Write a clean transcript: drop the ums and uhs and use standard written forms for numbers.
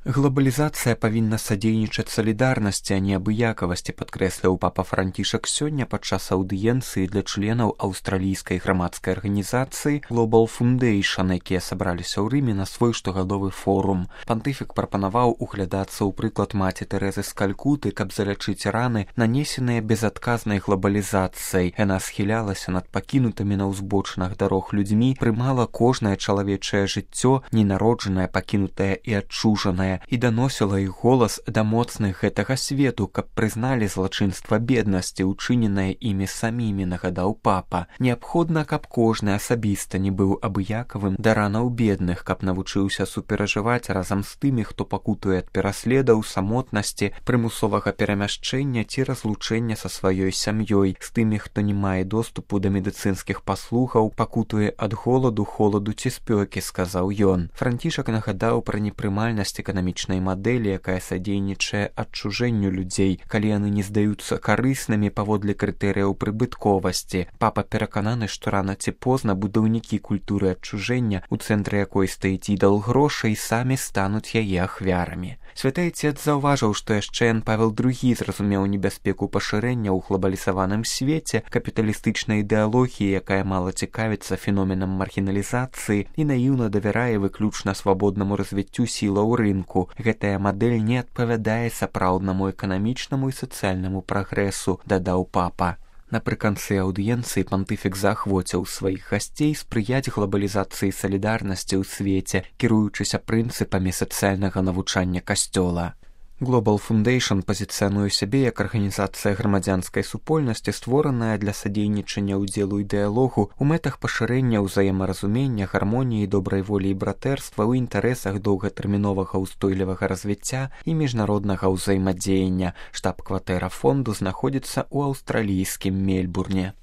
Глобалізацыя павінна садзейнічаць салідарнасці, а не абыякавасці, падкрэсліў папа Францішак сёння падчас аўдыенцыі для членаў аўстралійскай грамадскай арганізацыі Global Foundation, якія сабраліся ў Рыме на свой штогадовы форум. Пантыфік прапанаваў углядацца ў прыклад маці Тэрэзы з Калькуты, каб залячыць раны, нанесеныя безадказнай глобалізацыяй. Яна схілялася над пакінутымі на ўзбочынах дарог людзьмі, прымала кожнае чалавечае жыццё, ненароджанае, пакінутае і адчужанае, і даносіла іх голас да моцных гэтага свету, каб прызналі злачынства беднасці, учыненае імі самімі, нагадаў папа. Неабходна, каб кожны асабіста не быў абыякавым да ранаў бедных, каб навучыўся суперажываць разам з тымі, хто пакутуе ад пераследаў, самотнасці, прымусовага перамяшчэння ці разлучэння са сваёй сям'ёй, з тымі, хто не мае доступу да медыцынскіх паслугаў, пакутуе ад голаду, холаду ці спёкі, сказаў ён. Францішак нагадаў пра непрымальнасць эканамічнай мадэлі, якая садзейнічае адчужэнню людзей, калі яны не здаюцца карыснымі паводле крытэрыяў прыбытковасці. Папа перакананы, што рана ці позна будаўнікі культуры адчужэння, у цэнтры якой стаіць ідал грошай, самі стануць яе ахвярамі. Святы Айцец заўважыў, што яшчэ Ян Павел II зразумеў небяспеку пашырэння ў глобалізаваным свеце, капіталістычнай ідэалогіі, якая мала цікавіцца феноменам маргіналізацыі і наіўна давярае выключна свабоднаму развіццю сілаў рынку. Гэтая мадэль не адпавядае сапраўднаму эканамічнаму і сацыяльнаму прагрэсу, дадаў папа. Напрыканцы аўдыенцыі пантыфік заахвоціў сваіх гасцей спрыяць глобалізацыі салідарнасці ў свеце, кіруючыся прынцыпамі сацыяльнага навучання касцёла. Global Foundation пазіцыянуе сябе як арганізацыя грамадзянскай супольнасці, створаная для садзейнічання ўдзелу і дыялогу ў мэтах пашырэння ўзаемаразумення, гармоніі, добрай волі і братэрства ў інтарэсах доўгатэрміновага ўстойлівага развіцця і міжнароднага ўзаемадзеяння. Штаб-кватэра фонду знаходзіцца ў аўстралійскім Мельбурне.